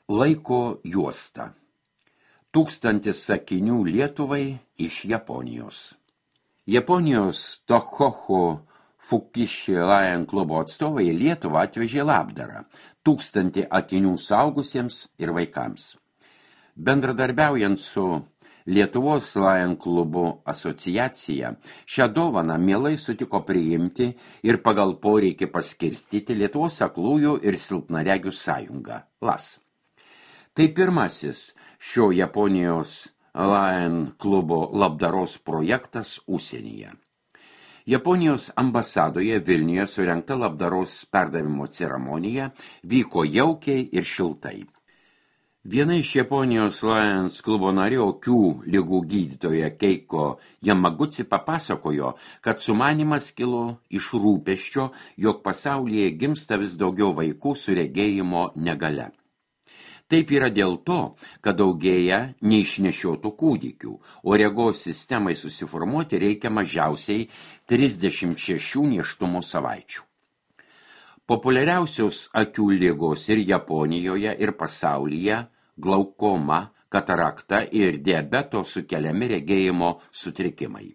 Laiko juosta. 1000 sakinių Lietuvai iš Japonijos. Japonijos Tohoku Fukishi Lion klubo atstovai į Lietuvą atvežė labdarą 1000 akinių suaugusiems ir vaikams. Bendradarbiaujant su Lietuvos Lion klubo asociacija, šią dovaną mielai sutiko priimti ir pagal poreikį paskirstyti Lietuvos aklųjų ir silpnaregių sąjungą LAS. Tai pirmasis šio Japonijos Lion klubo labdaros projektas užsienyje. Japonijos ambasadoje Vilniuje surengta labdaros perdavimo ceremonija vyko jaukiai ir šiltai. Viena iš Japonijos Lions klubo narių akių ligų gydytoja Keiko Yamaguchi papasakojo, kad sumanymas kilo iš rūpesčio, jog pasaulyje gimsta vis daugiau vaikų su regėjimo negalia. Taip yra dėl to, kad daugėja neišnešiotų kūdikių, o regos sistemai susiformuoti reikia mažiausiai 36 nėštumo savaičių. Populiariausios akių ligos ir Japonijoje, ir pasaulyje glaukoma, katarakta ir diabeto sukeliami regėjimo sutrikimai.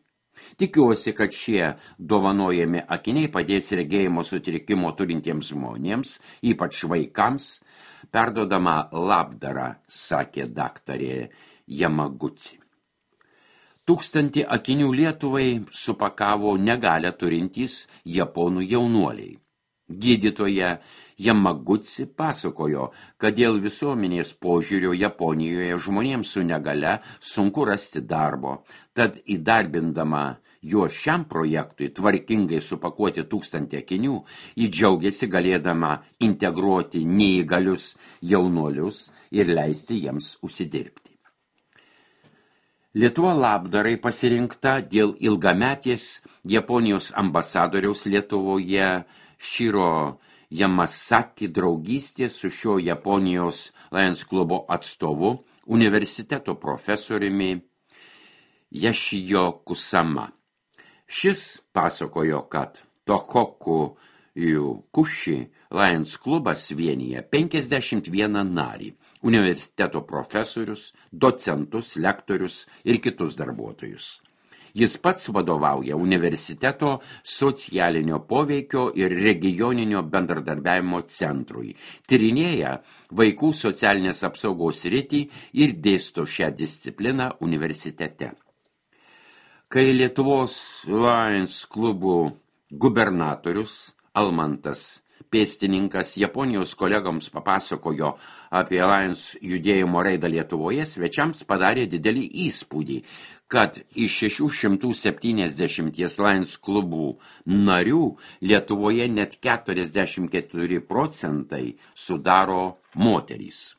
Tikiuosi, kad šie dovanojami akiniai padės regėjimo sutrikimo turintiems žmonėms, ypač vaikams, perduodama labdarą, sakė daktarė Yamaguchi. 1000 akinių Lietuvai supakavo negalią turintys japonų jaunuoliai. Gydytoja Yamaguchi pasakojo, kad dėl visuomenės požiūrio Japonijoje žmonėms su negale sunku rasti darbo, tad įdarbindama juos šiam projektui tvarkingai supakuoti 1000 akinių, ji džiaugiasi galėdama integruoti neįgalius jaunuolius ir leisti jiems užsidirbti. Lietuva labdarai pasirinkta dėl ilgametės Japonijos ambasadoriaus Lietuvoje Shiro Yamasaki draugystės su šio Japonijos Lions klubo atstovu, universiteto profesoriumi Yashio Kusama. Šis pasakojo, kad Tohoku Kushi Lions klubas vienyje 51 narį, universiteto profesorius, docentus, lektorius ir kitus darbuotojus. Jis pats vadovauja universiteto socialinio poveikio ir regioninio bendradarbiavimo centrui, tyrinėja vaikų socialinės apsaugos sritį ir dėsto šią discipliną universitete. Kai Lietuvos Lions klubų gubernatorius Almantas Pėstininkas Japonijos kolegoms papasakojo apie Lions judėjimo raidą Lietuvoje, svečiams padarė didelį įspūdį, kad iš 670 Lions klubų narių Lietuvoje net 44% sudaro moterys.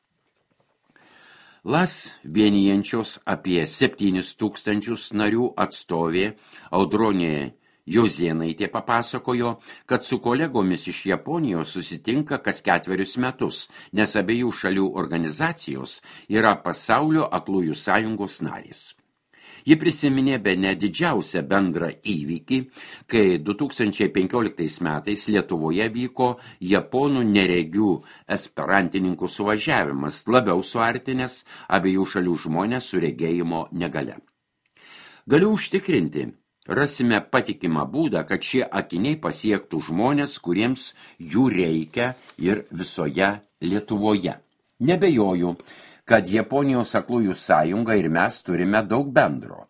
LAS vienijančios apie 7000 narių atstovė Audronė Jozėnaitė papasakojo, kad su kolegomis iš Japonijos susitinka kas 4 metus, nes abiejų šalių organizacijos yra Pasaulio aklųjų sąjungos narės. Ji prisiminė bene didžiausią bendrą įvykį, kai 2015 metais Lietuvoje vyko japonų neregių esperantininkų suvažiavimas, labiau suartinęs abiejų šalių žmonės su regėjimo negalia. Galiu užtikrinti, rasime patikimą būdą, kad šie akiniai pasiektų žmonės, kuriems jų reikia ir visoje Lietuvoje. Nebejoju, kad Japonijos aklųjų sąjunga ir mes turime daug bendro.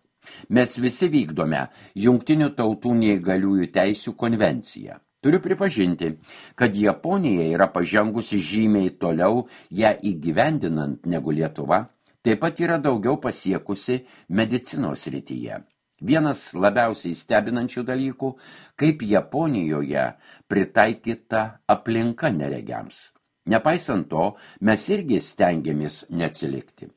Mes visi vykdome Jungtinių tautų neįgaliųjų teisių konvenciją. Turiu pripažinti, kad Japonija yra pažengusi žymiai toliau ją įgyvendinant negu Lietuva, taip pat yra daugiau pasiekusi medicinos srityje. Vienas labiausiai stebinančių dalykų, kaip Japonijoje pritaikyta aplinka neregiams. Nepaisant to, mes irgi stengiamės neatsilikti.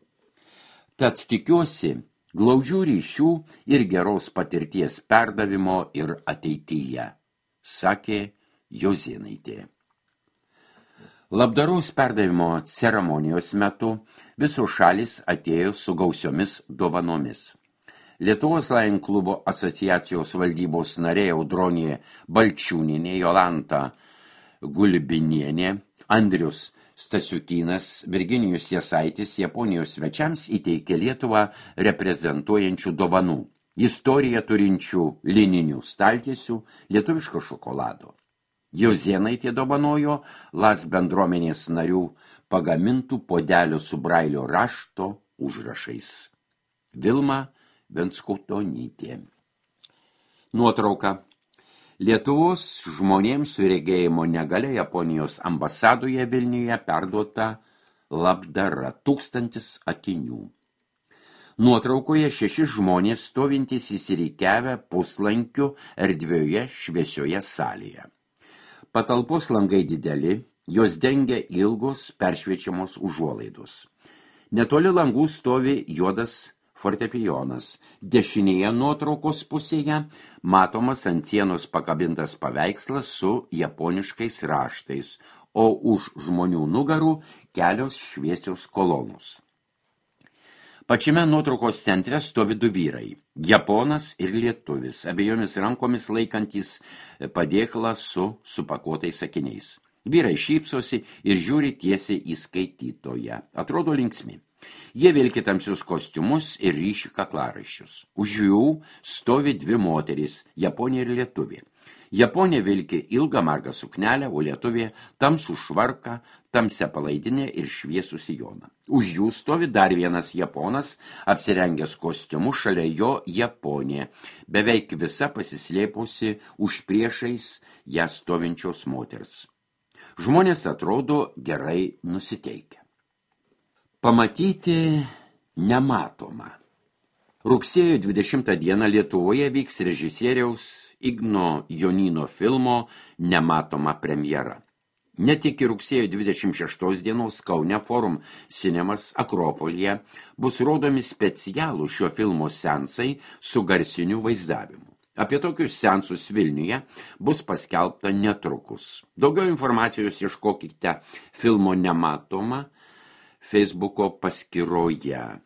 Tad tikiuosi glaudžių ryšių ir geros patirties perdavimo ir ateityje, sakė Jozėnaitė. Labdaros perdavimo ceremonijos metu visos šalys atėjo su gausiomis dovanomis. Lietuvos Lion klubo asociacijos valdybos narė Audronė Balčiūnienė, Jolanta Gulbinienė, Andrius Stasiukynas Virginijus Jasaitis Japonijos svečiams įteikė Lietuvą reprezentuojančių dovanų, istoriją turinčių lininių staltiesių, lietuviško šokolado. Jozėnaitė dovanojo LAS bendruomenės narių pagamintų puodelių su Brailio rašto užrašais. Vilma Venskautonytė. Nuotrauka. Lietuvos žmonėms su regėjimo negalia Japonijos ambasadoje Vilniuje perduota labdara 1000 akinių. Nuotraukoje 6 žmonės stovintys įsirikiavę puslankiu erdvioje šviesioje salėje. Patalpos langai dideli, jos dengia ilgos peršviečiamos užuolaidos. Netoli langų stovi juodas fortepijonas. Dešinėje nuotraukos pusėje matomas ant sienos pakabintas paveikslas su japoniškais raštais, o už žmonių nugarų kelios šviesios kolonos. Pačiame nuotraukos centre stovi 2 vyrai, japonas ir lietuvis, abiejomis rankomis laikantys padėklą su supakuotais akiniais. Vyrai šypsosi ir žiūri tiesiai į skaitytoją. Atrodo linksmi. Jie vilki tamsius kostiumus ir ryši kaklaraiščius. Už jų stovi 2 moterys, Japonė ir lietuvė. Japonė vilki ilgą margą suknelę, o lietuvė tamsų švarką, tamsią palaidinę ir šviesų sijoną. Už jų stovi dar vienas japonas, apsirengęs kostiumu, šalia jo Japonė, beveik visa pasislėpusi už priešais ją stovinčios moters. Žmonės atrodo gerai nusiteikę. Pamatyti nematoma. Rugsėjo 20 dieną Lietuvoje vyks režisieriaus Igno Jonyno filmo Nematoma premjera. Net iki rugsėjo 26 dienos Kaune Forum Cinemas Akropolyje bus rodomi specialų šio filmo seansai su garsiniu vaizdavimu. Apie tokius seansus Vilniuje bus paskelbta netrukus. Daugiau informacijos ieškokite filmo Nematoma Facebooko paskyroje.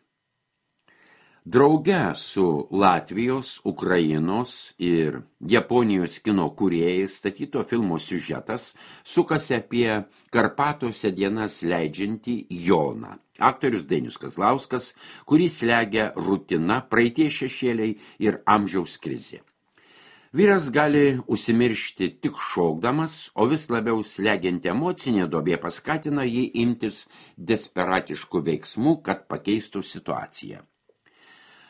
Drauge su Latvijos, Ukrainos ir Japonijos kino kūrėjais statyto filmo siužetas sukasi apie Karpatuose dienas leidžiantį Joną. Aktorius Dainius Kazlauskas, kurį slegia rutina, praeities šešėliai ir amžiaus krizė. Vyras gali užsimiršti tik šokdamas, o vis labiau slegianti emocinė duobė paskatina jį imtis desperatiškų veiksmų, kad pakeistų situaciją.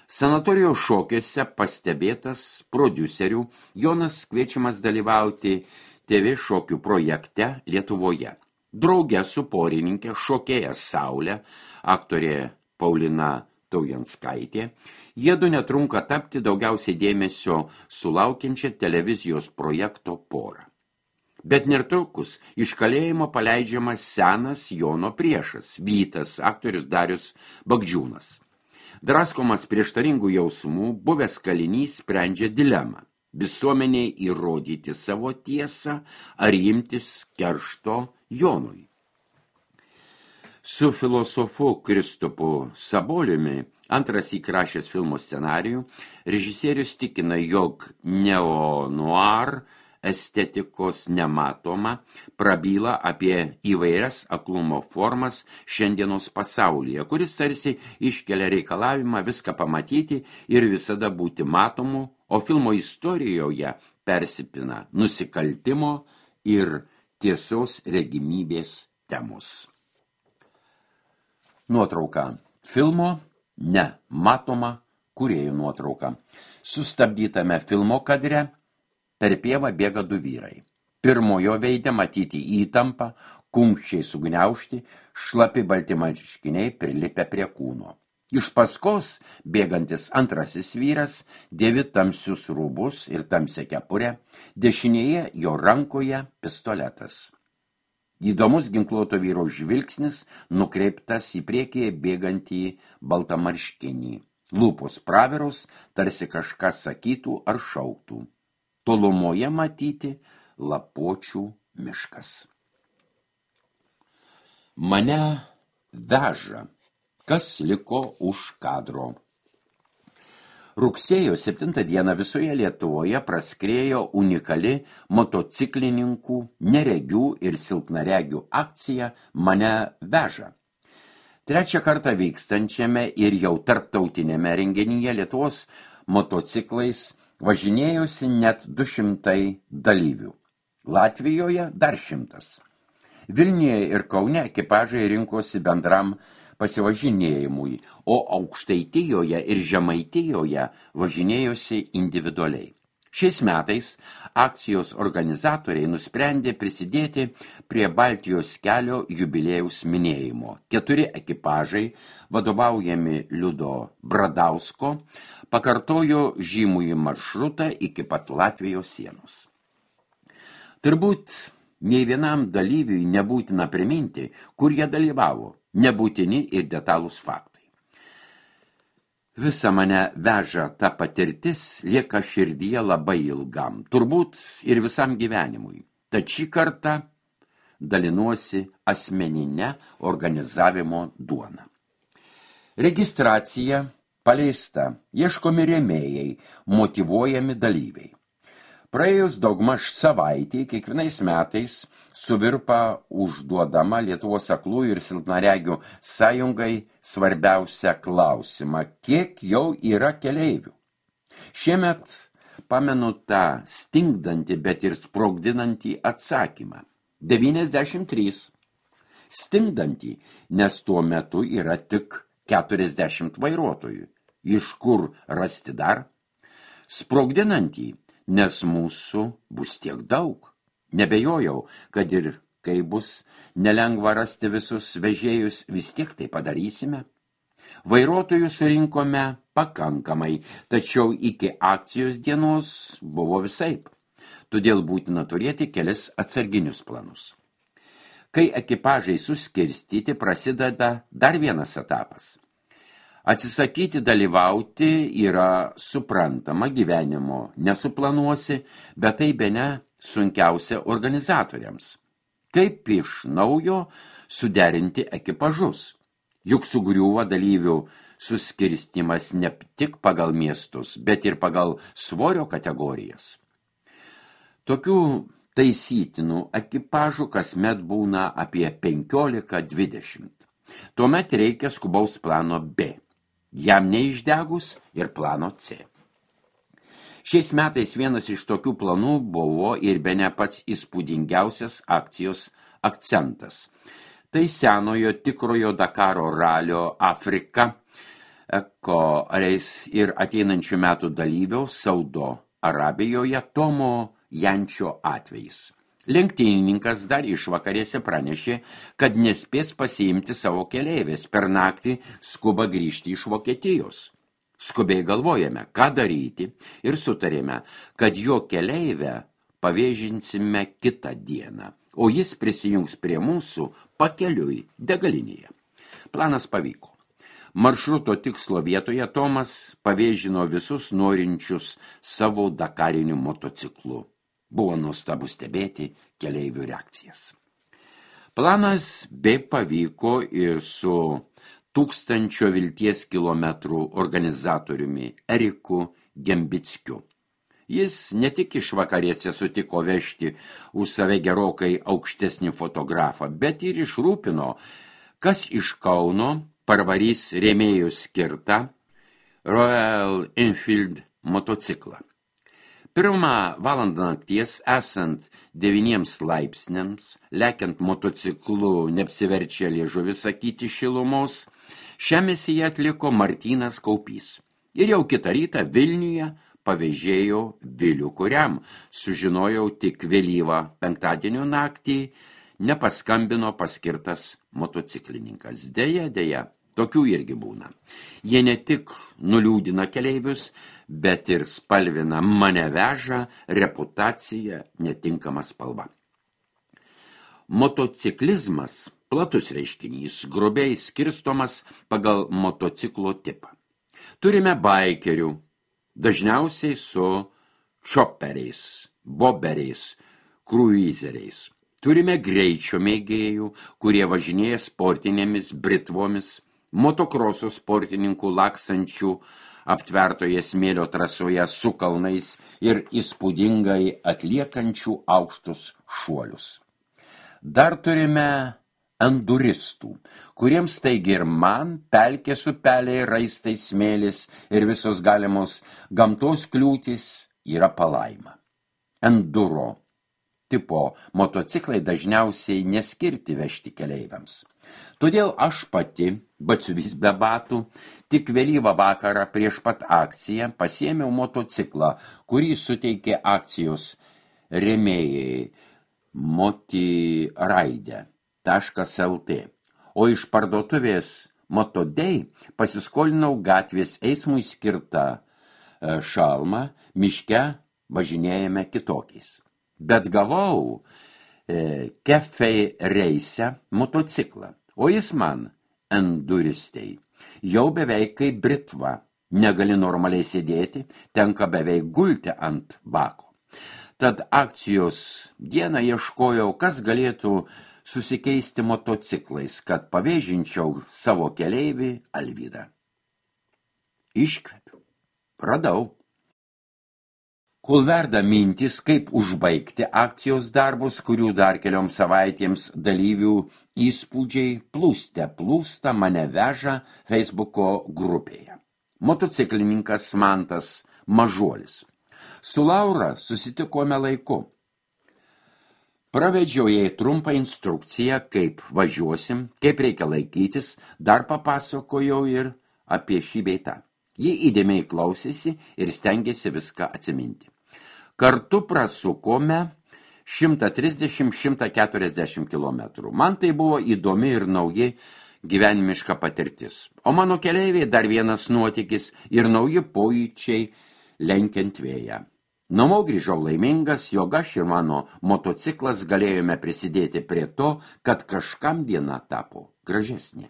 Sanatorijos šokiuose pastebėtas prodiuserių Jonas kviečiamas dalyvauti TV šokių projekte Lietuvoje. Drauge su porininkė šokėja Saulė, aktorė Paulina Taujanskaitė, jiedu netrunka tapti daugiausiai dėmesio sulaukiančią televizijos projekto porą. Bet netrukus iš kalėjimo paleidžiamas senas Jono priešas, Vytas, aktorius Darius Bagdžiūnas. Draskomas prieštaringų jausmų, buvęs kalinys sprendžia dilemą – visuomeniai įrodyti savo tiesą ar imtis keršto Jonui. Su filosofu Kristupu Saboliumi, antras įrašęs filmo scenarijų, režisierius tikina, jog neo-noir estetikos nematoma prabyla apie įvairias aklumo formas šiandienos pasaulyje, kuris tarsi iškelia reikalavimą viską pamatyti ir visada būti matomu, o filmo istorijoje persipina nusikaltimo ir tiesos regimybės temos. Nuotrauka. Filmo Nematoma kūrėjų nuotrauka. Sustabdytame filmo kadre per pievą bėga 2 vyrai. Pirmojo veide matyti įtampą, kumščiai sugniaužti, šlapi balti marškiniai prilipę prie kūno. Iš paskos bėgantis antrasis vyras dėvi tamsius rūbus ir tamsią kepurę, dešinėje jo rankoje pistoletas. Įdomus ginkluoto vyro žvilgsnis nukreiptas į priekį bėgantį baltą marškinį. Lūpos praviros, tarsi kažkas sakytų ar šauktų. Tolumoje matyti lapuočių miškas. Mane veža, kas liko už kadro. Rugsėjo 7 dieną visoje Lietuvoje praskriejo unikali motociklininkų, neregių ir silpnaregių akcija Mane veža. Trečią kartą vykstančiame ir jau tarptautinėme renginyje Lietuvos motociklais važinėjosi net 200 dalyvių. Latvijoje dar 100. Vilniuje ir Kaune ekipažai rinkosi bendram pasivažinėjimui, o Aukštaitijoje ir Žemaitijoje važinėjosi individualiai. Šiais metais akcijos organizatoriai nusprendė prisidėti prie Baltijos kelio jubiliejaus minėjimo. 4 ekipažai, vadovaujami Liudo Bradausko, pakartojo žymųjį maršrutą iki pat Latvijos sienos. Turbūt nei vienam dalyviui nebūtina priminti, kur jie dalyvavo, nebūtini ir detalūs faktai. Visa Mane veža ta patirtis lieka širdyje labai ilgam, turbūt ir visam gyvenimui. Tad šį kartą dalinuosi asmeninę organizavimo duoną. Registracija paleista, ieškomi rėmėjai, motyvuojami dalyviai. Praėjus daugmaž savaitį, kiekvienais metais suvirpa užduodama Lietuvos aklųjų ir silpnaregių sąjungai svarbiausią klausimą, kiek jau yra keleivių. Šiemet pamenu tą stingdantį, bet ir sprogdinantį atsakymą. 93. Stingdantį, nes tuo metu yra tik 40 vairuotojų. Iš kur rasti dar? Sprogdinantį, nes mūsų bus tiek daug. Nebejojau, kad ir kai bus nelengva rasti visus vežėjus, vis tiek tai padarysime. Vairuotojų surinkome pakankamai, tačiau iki akcijos dienos buvo visaip. Todėl būtina turėti kelis atsarginius planus. Kai ekipažai suskirstyti, prasideda dar vienas etapas. Atsisakyti dalyvauti yra suprantama, gyvenimo nesuplanuosi, bet tai bene sunkiausia organizatoriams. Kaip iš naujo suderinti ekipažus? Juk sugriūva dalyvių suskirstimas ne tik pagal miestus, bet ir pagal svorio kategorijas. Tokių taisytinų ekipažų kasmet būna apie 15-20. Tuomet reikia skubaus plano B. Jam neišdegus ir plano C. Šiais metais vienas iš tokių planų buvo ir bene pats įspūdingiausias akcijos akcentas. Tai senojo tikrojo Dakaro ralio Afrika, Eko Reis ir ateinančių metų dalyvio Saudo Arabijoje Tomo Jančio atvejis. Lenktynininkas dar išvakarėse pranešė, kad nespės pasiimti savo keleivės, per naktį skuba grįžti iš Vokietijos. Skubiai galvojame, ką daryti ir sutarėme, kad jo keleivę pavėžinsime kitą dieną, o jis prisijungs prie mūsų pakeliui degalinėje. Planas pavyko. Maršruto tikslo vietoje Tomas pavėžino visus norinčius savo dakariniu motociklu. Buvo nuostabu stebėti keleivių reakcijas. Planas B pavyko ir su 1000 vilties kilometrų organizatoriumi Eriku Gembickiu. Jis ne tik iš vakarėse sutiko vežti už save gerokai aukštesnį fotografą, bet ir išrūpino, kas iš Kauno parvarys rėmėjų skirtą Royal Enfield motociklą. 1 valandą nakties, esant 9 laipsniams, lekiant motociklu neapsiverčia liežuvis sakyti šilumos, šią misiją atliko Martynas Kaupys. Ir jau kitą rytą Vilniuje pavėžėjo Vilių, kuriam sužinojau tik vėlyvą penktadienio naktį, nepaskambino paskirtas motociklininkas. Deja, tokių irgi būna. Jie ne tik nuliūdina keleivius, bet ir spalvina Mane veža reputaciją netinkama spalva. Motociklizmas platus reiškinys, grubiai skirstomas pagal motociklo tipą. Turime baikerių, dažniausiai su šoperiais, boberiais, kruizeriais. Turime greičio mėgėjų, kurie važinėja sportinėmis britvomis, motokroso sportininkų laksančių aptvertoje smėlio trasoje su kalnais ir įspūdingai atliekančių aukštus šuolius. Dar turime enduristų, kuriems taigi ir man pelkės upeliai, raistai smėlis ir visos galimos gamtos kliūtys yra palaima. Enduro tipo motociklai dažniausiai neskirti vežti keleiviams. Todėl aš pati, batsiuvys be batų, tik vėlyvą vakarą prieš pat akciją pasiėmiau motociklą, kurį suteikė akcijos rėmėjai motiraide.lt, o iš parduotuvės Motodei pasiskolinau gatvės eismui skirtą šalmą, miške važinėjame kitokiais. Bet gavau Cafe Race motociklą, o jis man enduristei. Jau beveik kaip Britva, negali normaliai sėdėti, tenka beveik gulti ant bako. Tad akcijos dieną ieškojau, kas galėtų susikeisti motociklais, kad pavėžinčiau savo keleivį Alvydą. Iškvepiu. Radau. Kol verda mintis, kaip užbaigti akcijos darbus, kurių dar kelioms savaitėms dalyvių įspūdžiai plūsta mane veža Facebooko grupėje. Motociklininkas Mantas Mažuolis. Su Laura susitikome laiku. Pravedžiau jai trumpą instrukciją, kaip važiuosim, kaip reikia laikytis, dar papasakojau ir apie šį beitą. Ji įdėmiai klausėsi ir stengėsi viską atsiminti. Kartu prasukome 130–140 km. Man tai buvo įdomi ir nauji gyvenimiška patirtis. O mano keleiviai dar vienas nuotykis ir nauji pojūčiai lenkiant vėją. Namo grįžau laimingas, jog aš ir mano motociklas galėjome prisidėti prie to, kad kažkam diena tapo gražesnė.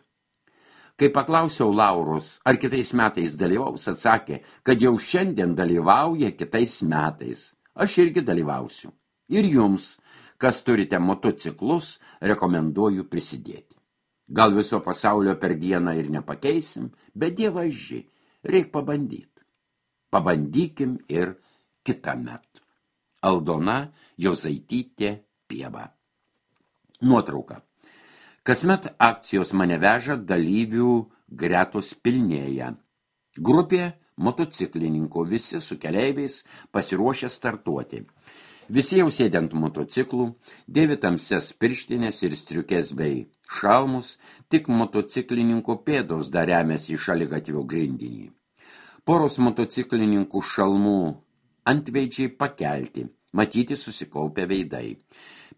Kai paklausiau Lauros, ar kitais metais dalyvaus, atsakė, kad jau šiandien dalyvauja kitais metais. Aš irgi dalyvausiu. Ir jums, kas turite motociklus, rekomenduoju prisidėti. Gal viso pasaulio per dieną ir nepakeisim, bet dievaži, reik pabandyti. Pabandykim ir kitąmet. Aldona Jozaitytė Pieva. Nuotrauka. Kasmet akcijos mane veža, dalyvių gretos pilnėja. Grupė motociklininkų, visi su keleiviais pasiruošę startuoti. Visi jau sėdant motociklų, dėvi tamsias pirštinės ir striukės bei šalmus, tik motociklininkų pėdos dar remiasi į šaligatvio grindinį. Poros motociklininkų šalmų antveidžiai pakelti, matyti susikaupę veidai.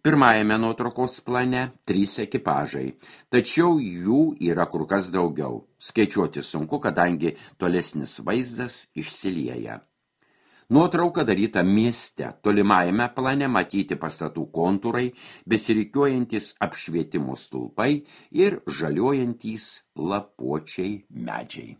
Pirmajame nuotraukos plane 3 ekipažai, tačiau jų yra kur kas daugiau. Skaičiuoti sunku, kadangi tolesnis vaizdas išsilieja. Nuotrauka daryta mieste, tolimajame plane matyti pastatų kontūrai, besirikiuojantis apšvietimo stulpai ir žaliuojantys lapuočiai medžiai.